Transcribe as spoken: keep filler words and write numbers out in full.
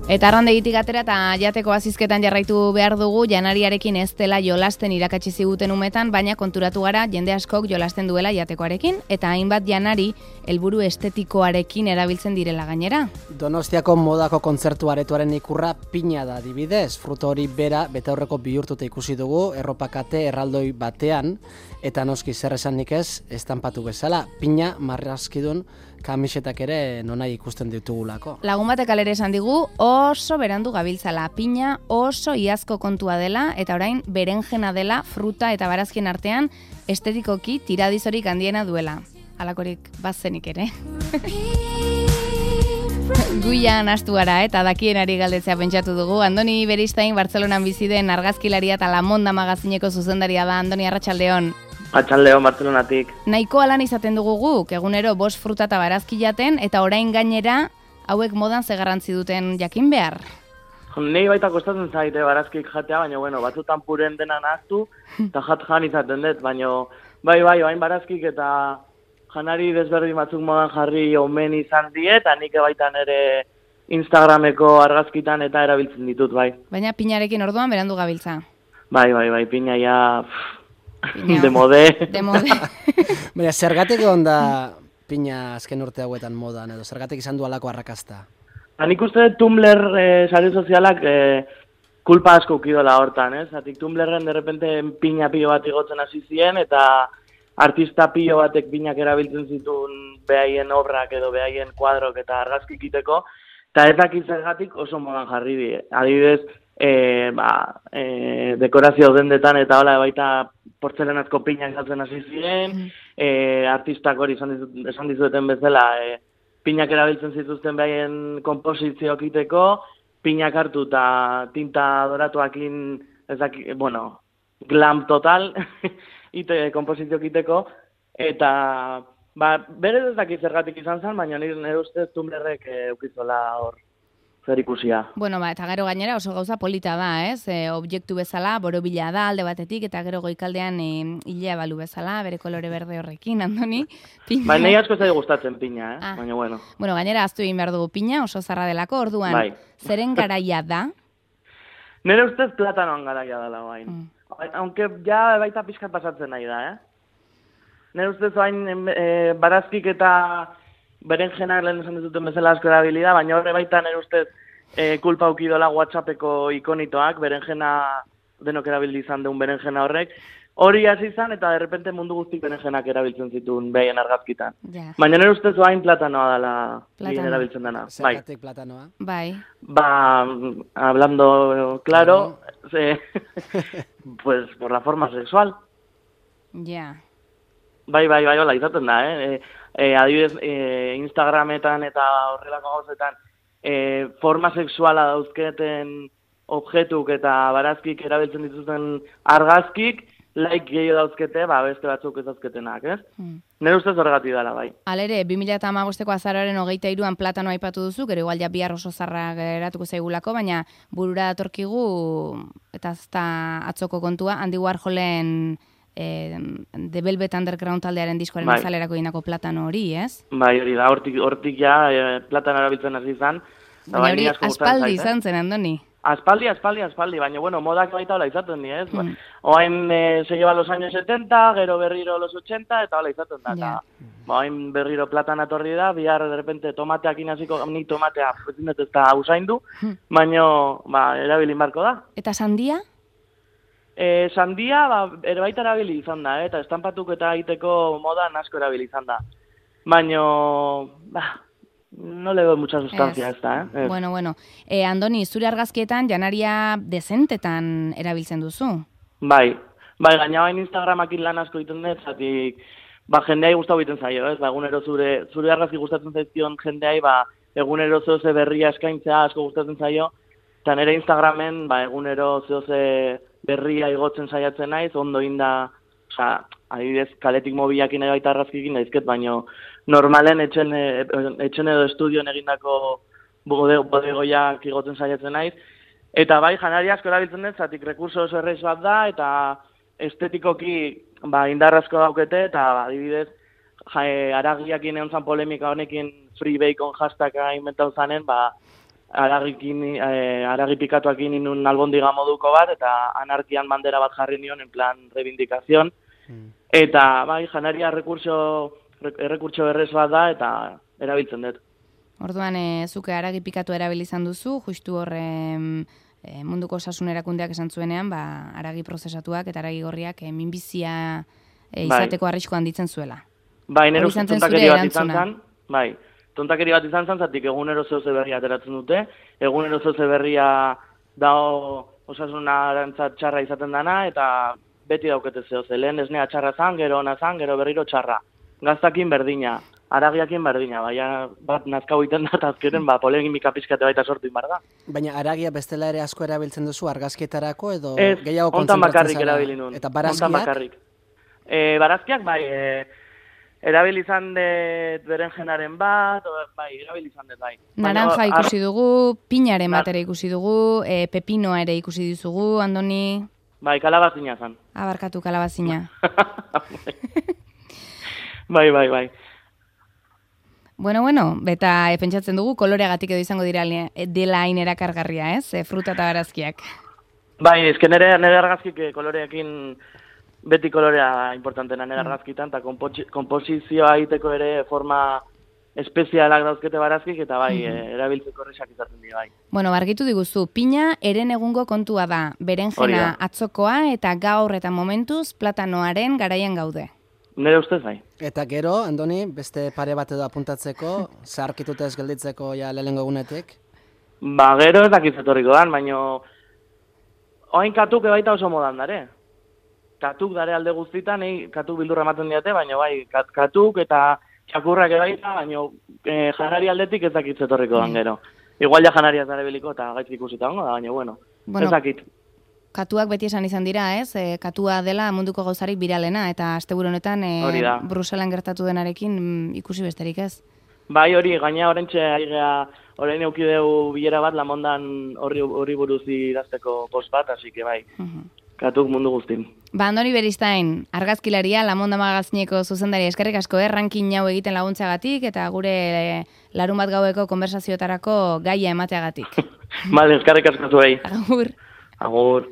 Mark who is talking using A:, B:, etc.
A: Eta arrandegitik atera eta jateko azizketan jarraitu behar dugu, janariarekin ez dela jolasten irakatsi ziguten umetan, baina konturatu gara jende askok jolasten duela jatekoarekin, eta hainbat janari helburu estetikoarekin erabiltzen direla gainera.
B: Donostiako modako kontzertu aretoaren ikurra pina da adibidez, fruto hori bera betaurreko bihurtuta ikusi dugu, erropakate erraldoi batean, eta noski zer esanik ez, estanpatu bezala, pina marrazkidun kamisetak ere nonai ikusten ditugulako.
A: Lagun batek alere esan digu, oso berandu gabiltzala, pina oso iazko kontua dela, eta orain berenjena dela fruta eta barazkien artean estetikoki tiradizorik handiena duela. Halakorik bazenik ere. Guian astu gara eta dakienari galdetzea pentsatu dugu. Andoni Beristain Bartzelonan bizi den argazkilaria eta La Monda magazineko zuzendaria da. Andoni, arratsaldeon.
C: Atxaldeon, Bartzelonatik.
A: Nahiko alan izaten dugu guk, egunero bost fruta eta barazki jaten, eta orain gainera hauek modan ze garrantzi duten jakin behar.
C: Nei baita kostatzen zaite barazkik jatea, baina bueno, batzutan puren dena nahaztu, eta jat jan izaten dut, baina bai, bai, bain barazkik eta janari desberdin batzuk modan jarri omen izan die, eta nik baitan ere Instagrameko argazkitan eta erabiltzen ditut, bai.
A: Baina pinarekin orduan berandu gabiltza.
C: Bai, bai, bai, pina ja... De mode.
A: De mode.
B: Baina, zergatik egon da pina azken urte hauetan modan, edo zergatik izan du alako arrakasta?
C: Nik uste Tumblr eh, sare sozialak eh, kulpa asko ukidola hortan, ez? Zatik Tumblrren derrepente pina pilo bat igotzen hasi ziren, eta artista pilo batek pinak erabiltzen zituen behaien obrak edo behaien kuadrok eta argazki ikiteko, eta ez dakit zergatik oso modan jarri die. Adibidez, E, ba, e, dekorazio dendetan eta hola baita portzelanazko pinak jatzen hasi ziren, e, artistak hori esan, dizut, esan dizueten bezala, e, pinak erabiltzen zituzten behaien komposizioak iteko, pinak hartu eta tinta doratuakin, ez daki, bueno, glam total, ite komposizioak iteko, eta ba, bere ez daki zergatik izan zen, baina nire ustez Tumblrrek e, eukizola hor. Zer ikusia.
A: Bueno, ba, eta gero gainera oso gauza polita da, ez? E, objektu bezala, borobila da alde batetik, eta gero goikaldean e, hilea balu bezala, bere kolore berde horrekin, Andoni. Pina...
C: Ba, nahi asko zai gustatzen pina, eh?
A: Ah.
C: Baina bueno.
A: Bueno, gainera aztu egin behar dugu pina, oso zarra delako, orduan,
C: bai.
A: Zeren garaia da?
C: Nire ustez platanoan garaia dela bain. Mm. Aunque ja baita pixkat pasatzen nahi da, eh? Nire ustez bain e, barazkik eta... berenjenak lehen esan dizuten bezala asko erabilida, baina horre baita nire ustez e, kulpa ukidola WhatsAppeko ikonitoak, berenjena denok erabildi izan deun berenjena horrek, hori hasi izan eta derrepente mundu guztik berenjenak erabiltzen zituen behien argazkitan.
A: Yeah.
C: Baina nire ustez bain platanoa dela gehien erabiltzen dena.
B: Zergatik platanoa?
A: Bai.
C: Ba, hablando claro, se, pues por la forma sexual.
A: Ja. Yeah.
C: Bai, bai, bai, hola, izaten da, eh? E, adibidez, e, Instagrametan eta horrelako gauzetan e, forma sexuala dauzketen objetuk eta barazkik erabiltzen dituzten argazkik, like gehiago dauzkete, ba, beste batzuk ez dauzketenak, ez? Hmm. Nire ustez horregatik dela, bai.
A: Alere, bi mila hamabosteko azaroaren hogeita hiruan platano aipatu duzu, gero igual ja bihar oso zarra geratuko zaigulako, baina burura datorkigu, eta ez da atzoko kontua, Andy Warholen... E, The Velvet Underground taldearen diskoaren bai. Azalerako inako platano hori, ez?
C: Bai, hori da, hortik, hortik ja e, platano erabiltzen hasi izan.
A: Baina hori aspaldi izan zen, Andoni?
C: Aspaldi, aspaldi, aspaldi, baina bueno, modak baita hola izaten di, ez? Hmm. Oain e, se lleva los años setenta, gero berriro los ochenta, eta hola izaten da. Ja. Ba, oain berriro platana torri da, bihar de repente tomateak inaziko, ni tomatea, ez da usaindu, hmm. baina ba, erabilin barko da.
A: Eta sandia?
C: E, sandia, ba, ere baita erabili izan da, eh? Eta estampatuk eta egiteko modan asko erabili izan da. Baina, ba, no le doy mucha sustancia ez da, eh?
A: Bueno, bueno. E, Andoni, zure argazkietan janaria dezentetan erabiltzen duzu?
C: Bai, bai, gaina bain Instagramakin lan asko egiten dut, zatik, ba, jendeai gustau egiten zaio, ez? Ba, egunero zure, zure argazki gustatzen zaizkion jendeai, ba, egunero zoze berria eskaintzea asko gustatzen zaio, eta nire Instagramen, ba, egunero zoze berria igotzen saiatzen naiz, ondo inda, oza, adibidez, kaletik mobilakin edo baita argazkikin daizket, baina normalen etxen, etxen edo estudioan egindako bodegoiak igotzen saiatzen naiz. Eta bai, janari asko erabiltzen dut, zatik rekurso oso erreiz bat da, eta estetikoki ba, indarrazko daukete, eta adibidez, ja, aragiakin egon zan polemika honekin free bacon hashtagga inventau zanen, ba, aragikin, eh, aragi pikatuak inun albondiga moduko bat, eta anarkian bandera bat jarri nion, en plan reivindikazion. Mm. Eta, bai, janaria rekurso, errekurtso errez bat da, eta erabiltzen dut.
A: Orduan, e, zuke aragi pikatu erabili izan duzu, justu horre e, munduko osasun erakundeak esan zuenean, ba, aragi prozesatuak eta aragi gorriak e, minbizia e, izateko bai. Arrisko handitzen zuela.
C: Bai, nero tontakeri bat izan zen, bai, tontakeri bat izan zen, zatik egunero zeuze berria ateratzen dute, egunero zeuze berria dao osasunarantzat txarra izaten dana, eta beti daukete zeuze, lehen esnea txarra zan, gero ona zan, gero berriro txarra. Gaztakin berdina, aragiakin berdina, baina bat nazkau iten da, azkeren, ba, polegimika pizkate baita sortu inbar da.
B: Baina aragia bestela ere asko erabiltzen duzu argazkietarako edo
C: ez,
B: gehiago
C: konzentratzen zara? Ez, ontan bakarrik erabili nun.
B: Eta barazkiak?
C: Ontan bakarrik. E, barazkiak, bai, e, erabili izan dut berenjenaren bat, o, bai, erabili izan dut, bai.
A: Naranja ikusi dugu, pinaren bat ere ikusi dugu, e, pepinoa ere ikusi dizugu, Andoni?
C: Bai, kalabazina zan.
A: Abarkatu kalabazina.
C: Bai, bai, bai.
A: Bueno, bueno, beta e, pentsatzen dugu koloreagatik edo izango dira dela hain erakargarria, ez? E, fruta eta barazkiak.
C: Bai, ezken nire, nire argazkik koloreekin beti kolorea importantena nire argazkitan, eta komposizioa egiteko ere forma espezialak dauzkete barazkik, eta bai, mm -hmm. erabiltzeko horrexak izaten dira, bai.
A: Bueno, bargitu diguzu, pina eren egungo kontua da, berenjena atzokoa eta gaur eta momentuz platanoaren garaian gaude.
C: Nire ustez bai.
B: Eta gero, Andoni, beste pare bat edo apuntatzeko, zaharkituta ez gelditzeko ja lehengo egunetik?
C: Ba, gero ez dakitzetorriko dan, baino oain katuk ebaita oso modan dare. Katuk dare alde guztitan, eh, katuk bildurra ematen diate, baina bai, kat, katuk eta txakurrak ebaita, baina eh, janari aldetik ez dakitzetorriko dan gero. Igual ja janaria zare biliko eta gaitzik ikusita hongo da, baina bueno, bueno, ez dakit.
A: Katuak beti esan izan dira, ez? E, katua dela munduko gauzarik biralena, eta asteburu honetan e, Bruselan gertatu denarekin ikusi besterik, ez?
C: Bai, hori, gaina orentxe aigea, orain eukideu bilera bat, lamondan horri, horri buruz idazteko post bat, hasi que bai, uh -huh. Katuk mundu guztin.
A: Ba, Andoni Beristain, argazkilaria, Lamonda magazineko zuzendari eskerrik asko, eh? Ranking hau egiten laguntzagatik, eta gure e, larun bat gaueko konversazioetarako gaia emateagatik.
C: Bale, eskerrik asko zuei.
A: Agur.
C: Agur.